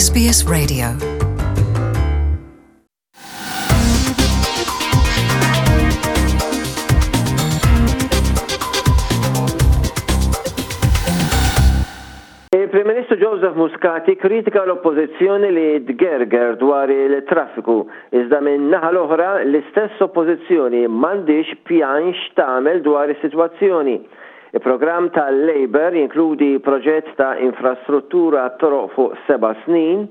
SBS Radio. Il-Prim Ministru Joseph Muscat ikkritika l-Oppożizzjoni li tgerger dwar il-traffiku, iżda min naħa l-oħra l-istess Oppożizzjoni m'għandhiex pjan x'tagħmel dwar is-sitwazzjoni. Il-programm tal-Labour jinkludi proġett ta' infrastruttura għat-toroq fuq seba' snin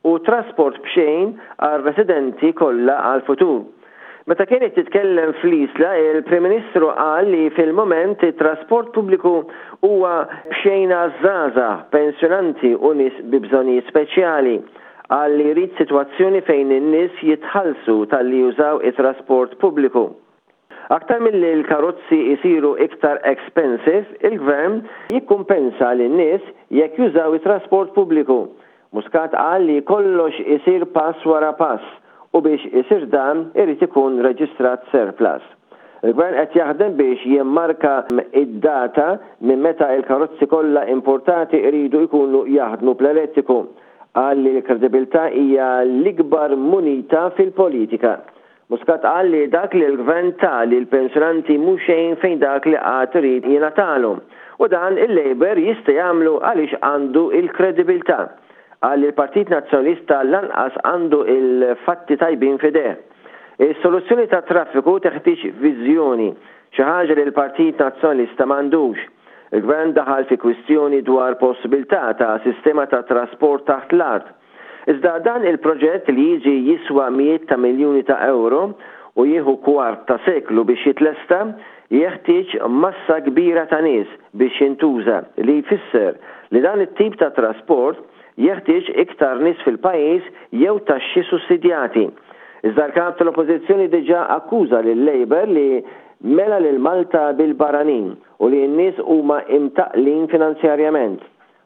u trasport b'xejn għar-residenti kollha għall-futur. Meta kien qed jitkellem fl-Isla, il-Prim Ministru qal li fil-mument it-trasport pubbliku huwa b'xejn għaż-żgħażagħ, pensjonanti u nies bi bżonnijiet speċjali. Qal li jrid sitwazzjoni fejn in-nies jitħallsu talli jużaw it-trasport pubbliku. Aktar milli l-karozzi jsiru iktar expensive, il-Gvern jikkumpensa lin-nies jekk jużaw it-trasport pubbliku. Muscat qal li kollox isir pass wara pass u biex isir dan irid ikun reġistrat surplus. Il-Gvern qed jaħdem biex jimmarka id-data minn meta l-karozzi kollha importati jridu jkunu jaħdmu bl-elettriku. Qal li l-kredibilità hija l-ikbar munita fil-politika. Muscat qal li dak li l-Gvern ta lill-pensjonanti mhu xejn fejn dak li għad irid jingħatalu. U dan il-Labour jista' jagħmlu għaliex għandu l-kredibilità. Qal li l-Partit Nazzjonalista lanqas għandu l-fatti tajbin f'idejh. Is-soluzzjoni tat-traffiku teħtieġ viżjoni, xi ħaġa li l-Partit Nazzjonalista m'għandux. Il-Gvern daħal fi kwistjoni dwar possibilità ta' sistema ta' trasport taħt l-art. Iżda dan il-proġett li jiġi jiswa mijiet ta' miljuni ta' ewro u jieħu kwart ta' seklu biex jitlesta, jeħtieġ massa kbira ta' nies biex jintuża li jfisser li dan it-tip ta' trasport jeħtieġ iktar nies fil-pajjiż jew taxxi sussidjati. Iżda l-Kap tal-Oppożizzjoni diġà akkuża lil-Labour li mela lil Malta bil-barranin u li n-nies huma imtaqqlin finanzjarjament.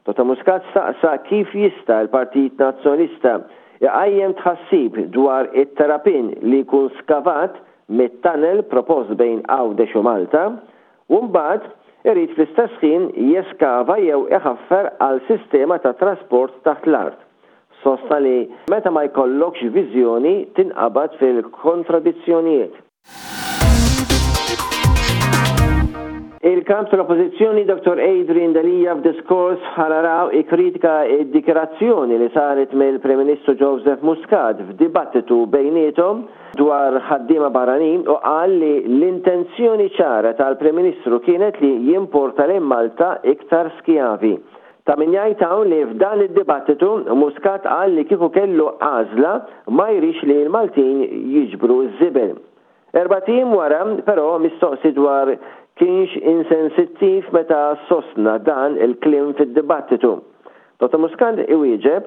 Dottor Muscat staqsa kif jista' l-Partit Nazzjonalista jqajjem tħassib dwar it-terrapien li jkun skavat mit-tunnel propost bejn Għawdex u Malta u mbagħad irid fl-istess ħin jeskava jew iħaffer għal sistema ta' trasport taħt l-art. Sostna li meta ma jkollokx viżjoni tinqabad fil-kontradizzjonijiet. Il-Kap tal-Oppożizzjoni Dottor Adrian Delia f'diskors f'Ħal Għargħur ikkritika d-dikjarazzjoni li saret mill-Prim Ministru Joseph Muscat f'dibattitu bejniethom dwar ħaddiema barranin u qal li l-intenzjoni ċara tal-Prim Ministru kienet li jimporta lejn Malta iktar skjavi. Ta' min jgħid hawn li f'dan id-dibattitu Muscat qal li kieku kellu għażla ma jridx li l-Maltin jiġbru ż-żibel. Erbat ijiem wara, però, mistoqsi dwar kienx insensittiv meta sostna dan il-kliem fid-dibattitu, Dottor Muscat iwieġeb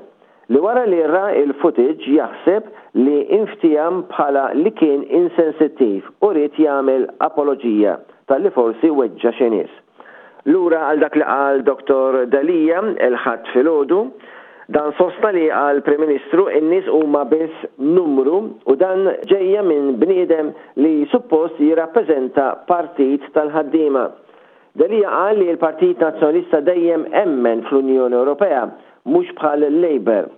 li wara li ra l-footage jaħseb li inftiehem bħala li kien insensittiv u ried jagħmel apoloġija talli forsi weġġa' xi nies. Lura għal dak li qal Dottor Delia il-Ħadd filgħodu, dan sostna li għall-Prim Ministru n-nies huma biss numru u dan ġejja minn bniedem li suppost jirrappreżenta partit tal-ħaddiema. Delia qal li l-Partit Nazzjonalista dejjem emmen fl-Unjoni Ewropea, mhux bħal il-Labour.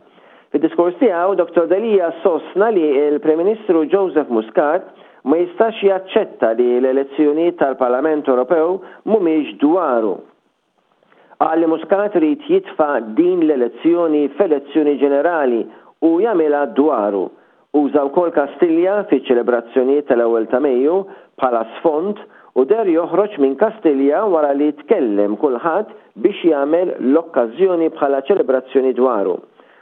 Fid-diskors tiegħu, Dottor Delia sostna li l-Prim Ministru Joseph Muscat ma jistax jaċċetta li l-elezzjonijiet tal-Parlament Ewropew mhumiex dwaru. Qal li Muscat irid jitfa' din l-elezzjoni f'elezzjoni ġenerali u jagħmilha dwaru. Uża wkoll Kastilja fiċ-ċelebrazzjonijiet tal-Ewwel ta' Mejju bħala sfond u deher joħroġ minn Kastilja wara li tkellem kulħadd biex jagħmel l-okkażjoni bħala ċelebrazzjoni dwaru.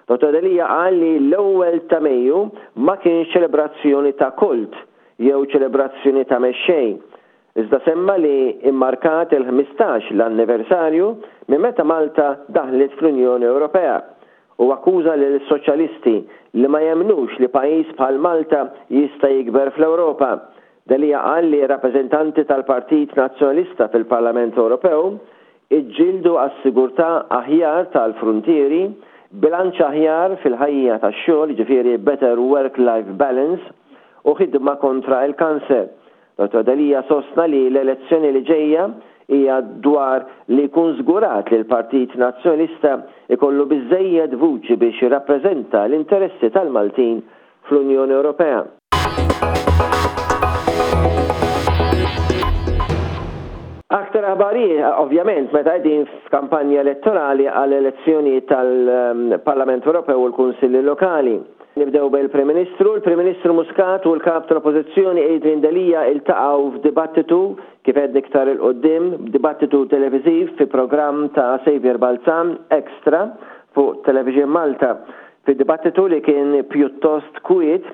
Dottor Delia qal li l-Ewwel ta' Mejju ma kienx ċelebrazzjoni ta' kult jew ċelebrazzjoni ta' mexxej, iżda semma li mmarkat il-15 l-anniversarju minn meta Malta daħlet fl-Unjoni Ewropea u akkuża lill-Soċjalisti li ma jemmnux li pajjiż bħal Malta jista' jikber fl-Ewropa. Delia qal li rappreżentanti tal-Partit Nazzjonalista fil-Parlament Ewropew iġġieldu għas-sigurtà aħjar tal-fruntieri, bilanċ aħjar fil-ħajja tax-xogħol, jiġifieri better work-life balance, u ħidma kontra l-kanser. Dottor Delia sostna li l-elezzjoni li ġejja hija dwar li jkun żgurat li l-Partit Nazzjonalista jkollu biżżejjed vuċi biex jirrappreżenta l-interessi tal-Maltin fl-Unjoni Ewropea. Aktar aħbarijiet, ovvjament, meta qegħdin f'kampanja elettorali għall-elezzjonijiet tal-Parlament Ewropew u l-Kunsilli Lokali. Nibdew bil-Prim Ministru. Il-Prim Ministru Muscat u l-Kap tal-Oppożizzjoni Adrian Delia iltaqgħu f'dibattitu, kif għedna iktar 'il quddiem, dibattitu televiżiv fi programm ta' Saviour Balzan, Extra, fuq Television Malta. Fid-dibattitu li kien pjuttost kwiet,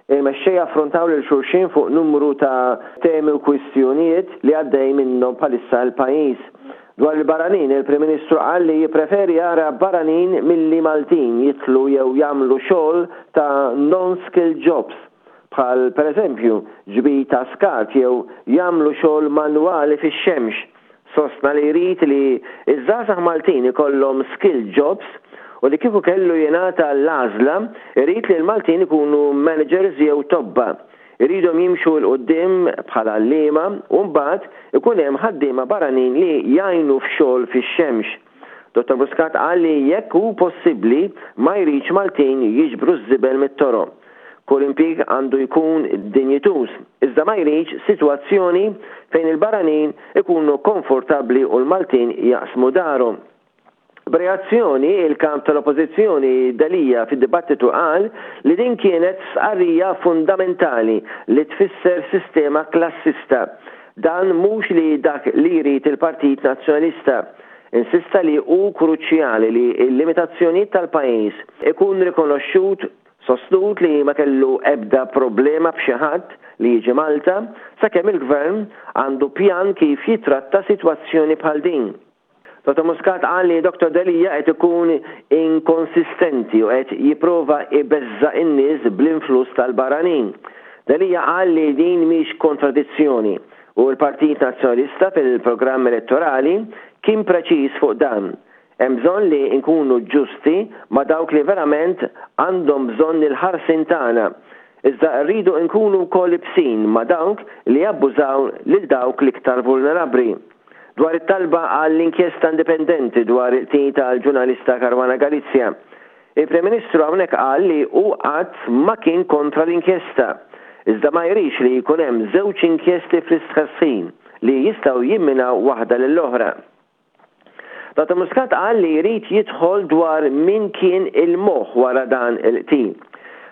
il-mexxejja affrontaw lil xulxin fuq numru ta' temi u kwistjonijiet li għaddej minnhom bħalissa l-pajjiż. Dwar il-barranin, il-Prim Ministru qal li jippreferi jara barranin milli Maltin jidħlu jew jagħmlu xogħol ta' non-skilled jobs, bħal pereżempju ġbid ta' skart jew jagħmlu xogħol manwali fix-xemx. Sostna li jrid li ż-żgħażagħ Maltin ikollhom skilled jobs u li kieku kellu jingħata l-għażla jrid li l-Maltin ikunu managers jew tobba. Iridhom jimxu 'l quddiem bħala għalliema u mbagħad ikun hemm ħaddiema barranin li jgħinu f'xogħol fix-xemx. Dottor Muscat qal li jekk hu possibbli ma jridx Maltin jiġbru ż-żibel mit-toroq. Kull impjieg għandu jkun dinjituż, iżda ma jridx sitwazzjoni fejn il-barranin ikunu konfortabbli u l-Maltin jaqsmu darhom. B'reazzjoni, il-Kap tal-Oppożizzjoni Delia fid-dibattitu qal li din kienet stqarrija fundamentali li tfisser sistema klassista. Dan mhux li dak li jrid il-Partit Nazzjonalista. Insista li hu kruċjali li l-limitazzjonijiet tal-pajjiż ikun rikonoxxut Sostnut li ma kellu ebda problema b'xi ħadd li jiġi Malta sakemm il-Gvern għandu pjan kif jitratta sitwazzjoni bħal din. Dottor Muscat qal li Dottor Delia qed ikun inkonsistenti u qed jipprova jbeżża' in-nies bl-influss tal-barranin. Delia qal li din mhix kontradizzjoni u l-Partit Nazzjonalista fil-programm elettorali kien preċiż fuq dan. Hemm bżonn li nkunu ġusti ma' dawk li verament għandhom bżonn il-ħarsien tagħna, iżda rridu nkunu wkoll ibsin ma' dawk li jabbużaw lil dawk l-iktar vulnerabbli. Dwar it-talba għal inkjesta indipendenti dwar il-qtil tal-ġurnalista Caruana Galizia, il-Prim Ministru hawnhekk qal li hu qatt ma kien kontra l-inkjesta, iżda ma jridx li jkun hemm żewġ inkjesti fl-istess ħin li jistgħu jimminaw waħda lill-oħra. Dottor Muscat qal li jrid jidħol dwar min kien il-moħħ wara dan il-qtil.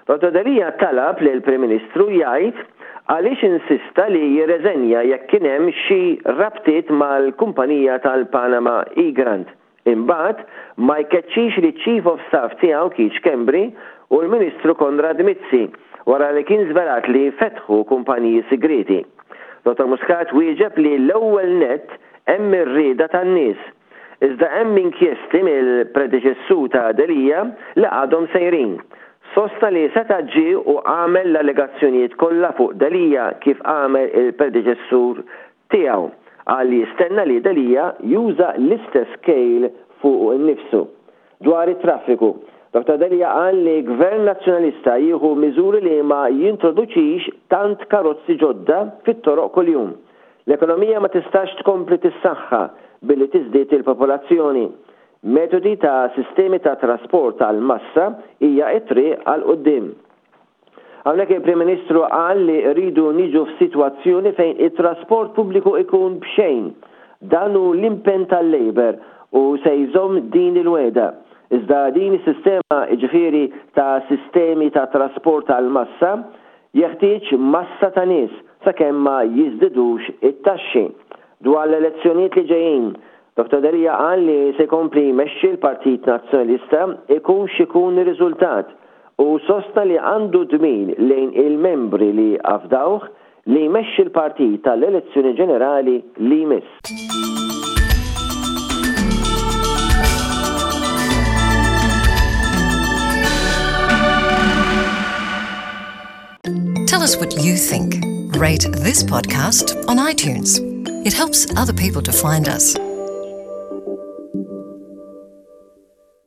Dottor Delia talab lill-Prim Ministru jgħid għaliex insista li jirreżenja jekk kien hemm xi rabtiet mal-kumpanija tal-Panama Egrant. Imbagħad ma jkeċċix liċ-Chief of Staff tiegħu Keith Schembri u l-Ministru Konrad Mizzi wara li kien żvelat li fetħu kumpaniji sigrieti. Dottor Muscat wieġeb li l-ewwel nett Hemm ir-rieda tan-nies. Iżda hemm inkjesti mill-predeċessur ta' Delia li għadhom sejrin. Sostna li seta' ġie u għamel l-allegazzjonijiet kollha fuq Delia kif għamel il-predeċessur tiegħu. Qal li jistenna li Delia juża l-istess kejl fuqu nnifsu. Dwar it-traffiku, Dottor Delia qal li Gvern Nazzjonalista jieħu miżuri li ma jintroduċix tant karozzi ġodda fit-toroq kuljum. L-ekonomija ma tistax tkompli tissaħħa billi tiżdied il-popolazzjoni. Metodi ta' sistemi ta' trasport għall-massa hija t-triq għal quddiem. Hawnhekk il-Prim Ministru qal li rridu niġu f'sitwazzjoni fejn it-trasport pubbliku ikun b'xejn. Dan hu l-impenn tal-Labour u se jżomm din il-wegħda. Iżda din is-sistema, jiġifieri ta' sistemi ta' trasport għall-massa, jeħtieġ massa ta' nies sakemm ma jiżdidux it-taxxi. Dwar l-elezzjonijiet li ġejjin, Dottor Delia qal li se jkompli jmexxi l-Partit Nazzjonalista ikun x'ikun ir-riżultat u sostna li għandu dmir lejn il-membri li afdawh li jmexxi l-partit għall-elezzjoni ġenerali li jmiss. Tell us what you think. Rate this podcast on iTunes. It helps other people to find us.